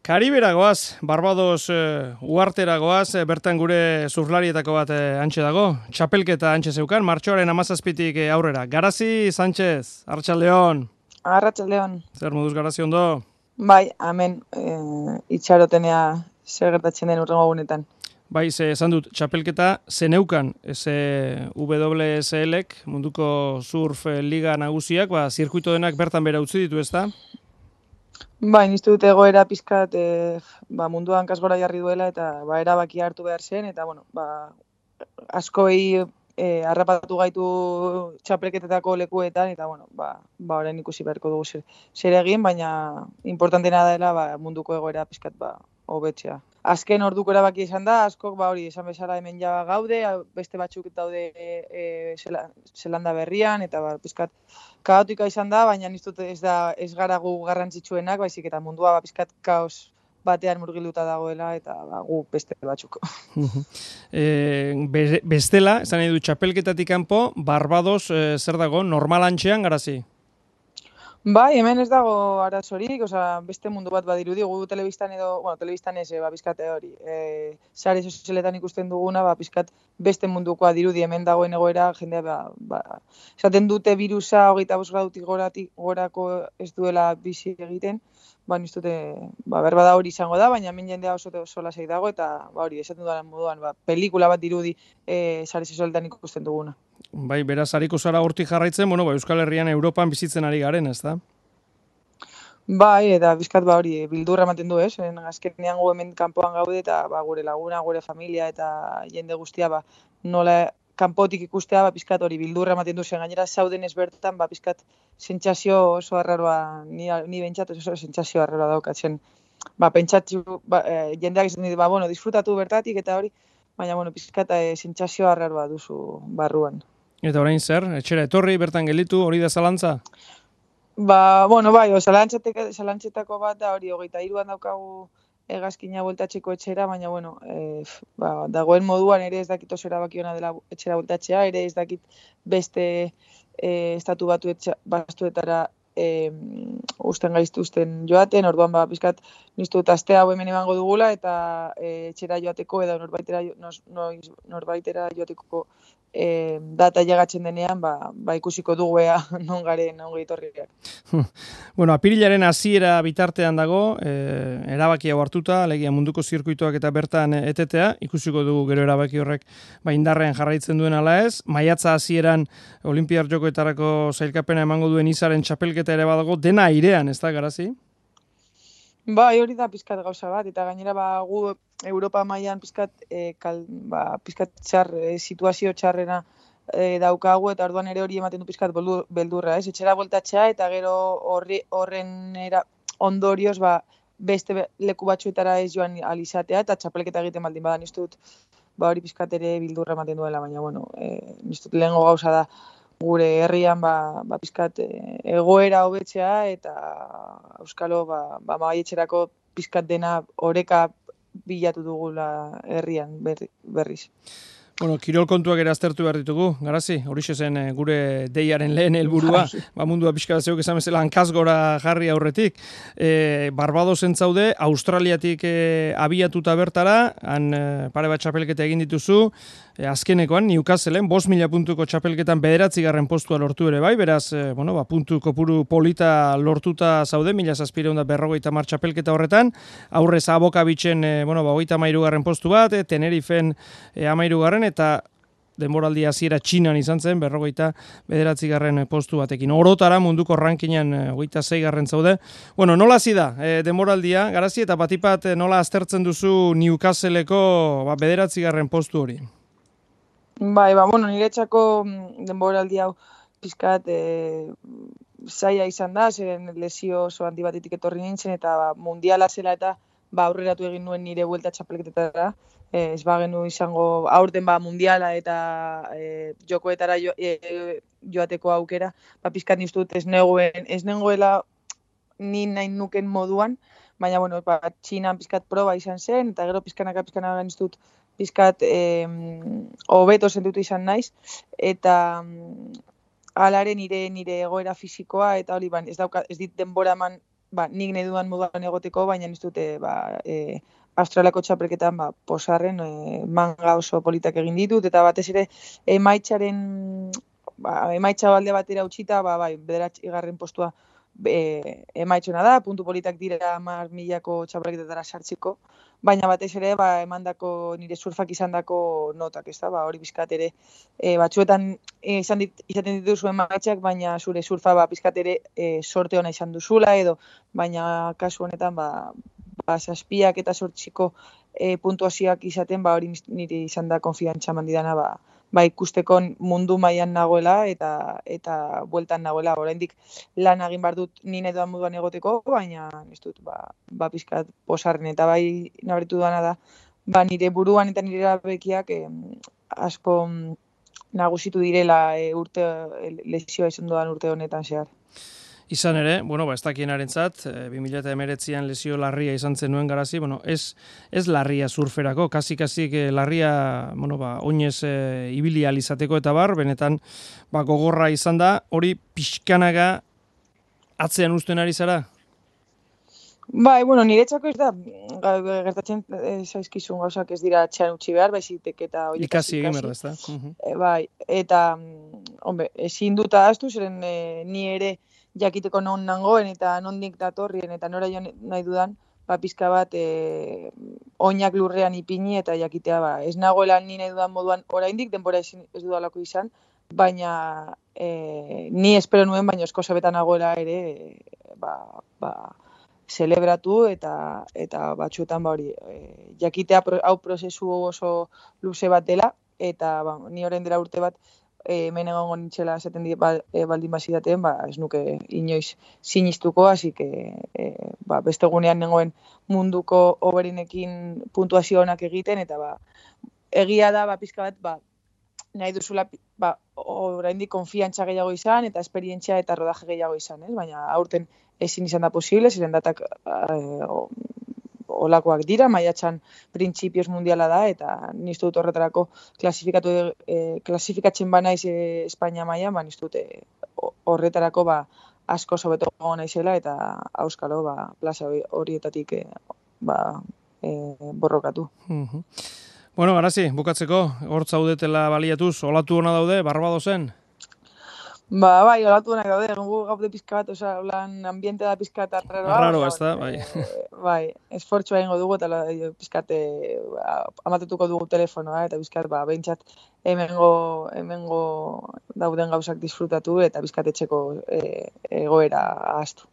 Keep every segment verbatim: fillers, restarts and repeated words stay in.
Karibera goaz, Barbados uh, uartera goaz, bertan gure zurlarietako bat uh, antxe dago. Txapelketa antxe zeukan, martxoaren amazazpitik uh, aurrera. Garazi, Sánchez, Arratsaldeon. Arratsaldeon. Zer moduz Garazi ondo? Bai, hemen e, itxarotenea zer gertatzen den urrengo gunetan. Bai, ze esan dut, txapelketa zeneukan, ze W S L-ek, munduko surf liga nagusiak, ba, zirkuito denak bertan bera utzi ditu, ezta? Bai, niztu dut egoera pizkat e, ba, munduan kasgora jarri duela eta ba, erabakia hartu behar zen, eta bueno, ba, askoi e, harrapatu gaitu txapelketetako lekuetan, eta bueno, ba, ba orain ikusi beharko dugu zer, zer egin, baina importantena dela ba, munduko egoera pizkat ba, hobetzea. Azken orduko erabaki izan da, askok ba hori esan bezala hemen ja gaude, beste batzuk daude e, Zelanda berrian, eta ba, pizkat kaotika izan da, baina niztut ez da ez gara gu garrantzitsuenak, baizik eta mundua ba, pizkat kaos batean murgilduta dagoela, eta ba, gu beste batzuk. e, be, bestela, esan nahi du txapelketatik kanpo, Barbados e, zer dago, normalantxean Garazi? Bai, hemen ez dago arazorik, osea, beste mundu bat badirudi, gu telebistan edo, bueno, telebistan ez, ba, pizkate hori, e, sare sozialetan ikusten duguna, ba, pizkat beste mundukoa dirudi, hemen dagoen egoera, jendea, ba, ba, esaten dute virusa, hogeita bost gradutik goratik, gorako ez duela bizi egiten, ba, niztute, ba, berbada hori izango da, baina hemen jendea oso oso lasai dago, eta, ba, hori, esaten dudan moduan, ba, pelikula bat dirudi, e, sare sozialetan ikusten duguna. Bai, beraz, hariko zara hortik jarraitzen, bueno, ba, Euskal Herrian Europan bizitzen ari garen, ez da? Bai, eta bizkat ba hori bildurra ematen du, ez? Azkenean gu hemen kanpoan gaude eta ba, gure laguna, gure familia eta jende guztia ba, nola kanpotik ikustea ba, bizkat hori bildurra ematen du zen. Gainera zauden ez bertan, ba, bizkat sentsazio oso arraroa, ni, ni bentsat oso sentsazio arraroa daukatzen. Ba, pentsatzu, ba, e, jendeak esaten dit, ba, bueno, disfrutatu bertatik eta hori, baina, bueno, bizkat e, sentsazio arraroa duzu barruan. Eta orain zer, etxera etorri, bertan gelditu, hori da zalantza? Ba, bueno, bai, o, zalantzetako bat da hori, hogeita hiruan daukagu hegazkina bueltatzeko etxera, baina, bueno, e, ba, dagoen moduan ere ez dakit oso erabakiona dela etxera bueltatzea, ere ez dakit beste e, estatu batu bastuetara e, usten gaiztuzten joaten, orduan ba, bizkat niztu dut astea hau hemen emango dugula, eta e, etxera joateko edo norbaitera, noiz, norbaitera joateko E, data llegatzen denean, ba, ba ikusiko dugu ea non garen ongi etorriak. Bueno, apirilaren hasiera bitartean dago, e, erabaki hau hartuta, alegia munduko zirkuitoak eta bertan etetea, ikusiko dugu gero erabaki horrek ba indarrean jarraitzen duen ala ez. Maiatza hasieran Olinpiar Jokoetarako sailkapena emango duen izaren txapelketa ere badago, dena airean, ez da, Garazi? Bai, hori da pizkat gauza bat, eta gainera ba, gu Europa mailan pizkat, e, kal, ba, pizkat txar, e, situazio txarrena e, daukagu, eta orduan ere hori ematen du pizkat beldurra, ez? Etxera bueltatzea, eta gero horri, horren era, ondorioz ba, beste leku batzuetara ez joan alizatea, eta txapelketa egiten baldin badan niztut, ba, hori pizkat ere bildurra ematen duela, baina bueno, e, niztut lehengo gauza da, gure herrian ba, ba pizkat egoera hobetzea eta euskalo ba, ba maietxerako pizkat dena oreka bilatu dugula herrian berri, berriz. Bueno, kirol kontuak ere aztertu behar ditugu, Garazi, horixe zen e, gure deiaren lehen helburua, ba mundua pixka zeuk esan bezala hankazgora jarri aurretik. E, Barbadosen zaude, Australiatik e, abiatuta bertara, han e, pare bat txapelketa egin dituzu, e, azkenekoan, Newcastleen, bost mila puntuko txapelketan bederatzigarren postua lortu ere bai, beraz, e, bueno, ba, puntu kopuru polita lortuta zaude, mila zazpireun da berrogeita mar txapelketa horretan, aurrez Abokabitzen, e, bueno, ba, hogeita hamairugarren postu bat, e, Tenerifen e, hamairugarren, eta denboraldi hasiera Txinan izan zen, berrogeita bederatzigarren postu batekin. Orotara munduko rankinan hogeita seigarren zaude. Bueno, nola hasi da e, denboraldia, Garazi, eta batipat nola aztertzen duzu Newcastleko ba, bederatzigarren postu hori? Bai, ba, bueno, niretzako denboraldi hau pizkat e, zaila izan da, zeren lesio oso handi batetik etorri nintzen, eta ba, mundiala zela eta ba, aurreratu egin nuen nire buelta txapelketetara. Ez bagenu izango aurten ba, mundiala eta e, jokoetara jo, e, joateko aukera, ba, pizkat niztut ez negoen, ez nengoela ni nahi nuken moduan, baina, bueno, ba, Txinan pizkat proba izan zen, eta gero pizkanaka pizkanaka niztut pizkat hobeto e, sentutu izan naiz, eta alaren nire nire egoera fisikoa, eta hori ban, ez, dauka, ez dit denbora eman ba, nik nahi duan moduan egoteko, baina ez dute, ba, e, Australiako txapelketan, ba, posarren, e, manga oso politak egin ditut, eta batez ere, emaitzaren, ba, emaitza alde batera utxita, ba, bai, bederatz igarren postua e, emaitzona da, puntu politak dira mar milako txapelketetara sartziko, baina batez ere, ba, emandako nire surfak izandako notak, ez da, ba, hori bizkat ere, e, batzuetan e, izan dit, izaten dituzu emaitzak, baina zure surfa, ba, bizkat ere e, sorte ona izan duzula, edo, baina kasu honetan, ba, ba, zazpiak eta sortziko e, puntuazioak izaten, ba, hori niri izan da konfiantza mandidana, ba, ba, ikusteko mundu mailan nagoela eta eta bueltan nagoela. Oraindik lan egin bar dut ni nahi dudan moduan egoteko, baina ez dut, ba, ba pizkat posarren eta bai nabaritu dana da, ba, nire buruan eta nire erabekiak eh, asko nagusitu direla e, urte lesioa izan dudan urte honetan zehar. Izan ere, bueno, ba, ez dakienarentzat, bi mila hemeretzian lesio larria izan zenuen Garazi, bueno, ez, ez larria surferako, kasi-kasik larria, bueno, ba, oinez e, ibili ahal izateko eta bar, benetan, ba, gogorra izan da, hori pixkanaga atzean uzten ari zara? Bai, bueno, niretzako ez da, gertatzen e, zaizkizun gauzak ez dira atxean utzi behar, baizik eta hori ikasi egin behar da, ez da? Uh-huh. E, bai, eta, hombre, ezin dut ahaztu, zeren e, ni ere jakiteko non nangoen eta nondik datorrien eta nora joan nahi dudan, ba, pizka bat e, oinak lurrean ipini eta jakitea, ba, ez nagoela ni nahi dudan moduan oraindik denbora ez, ez dudalako izan, baina e, ni espero nuen, baina esko zabetan nagoela ere, e, ba, ba, zelebratu eta eta batzuetan ba hori e, jakitea pro, hau prozesu oso luze bat dela eta ba, ni orain dela urte bat e, hemen egongo nintzela esaten di ba, e, baldin bazidaten, ba ez nuke inoiz sinistuko, así que e, ba, beste gunean nengoen munduko hoberenekin puntuazio onak egiten eta ba egia da ba pizka bat ba nahi duzula ba oraindik konfiantza gehiago izan eta esperientzia eta rodaje gehiago izan, ez? Baina aurten ezin izan da posible, ziren datak eh, olakoak dira, maiatzan printzipioz mundiala da, eta nistu dut horretarako klasifikatu, eh, klasifikatzen ba naiz eh, Espainia mailan, ba nistu dut eh, horretarako ba asko sobeto naizela eta auskalo ba plaza horietatik eh, ba eh, borrokatu. Uh-huh. Bueno, Garazi, bukatzeko, hor zaudetela baliatuz, olatu ona daude, Barbadosen? Ba, bai, olatu honak daude, gu gaude pizka bat, oza, lan ambiente da pizka bat arraroa. Arraro, ez da, bai. E, bai, esfortzua egingo dugu, eta pizkat amatutuko dugu telefonoa, eta pizkat, ba, behintzat, hemengo, hemengo dauden gauzak disfrutatu, eta pizkat etxeko e, egoera ahaztu.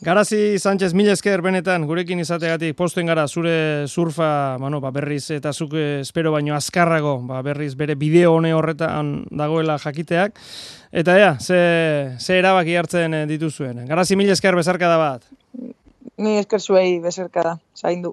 Garazi Sánchez, mila esker benetan, gurekin izategatik posten gara zure surfa, bueno, ba, berriz eta zuk espero baino azkarrago, ba, berriz bere bideo hone horretan dagoela jakiteak, eta ea, ze, ze erabaki hartzen dituzuen. Garazi, mila esker bezarkada bat. Ni esker zuei bezarkada, zaindu.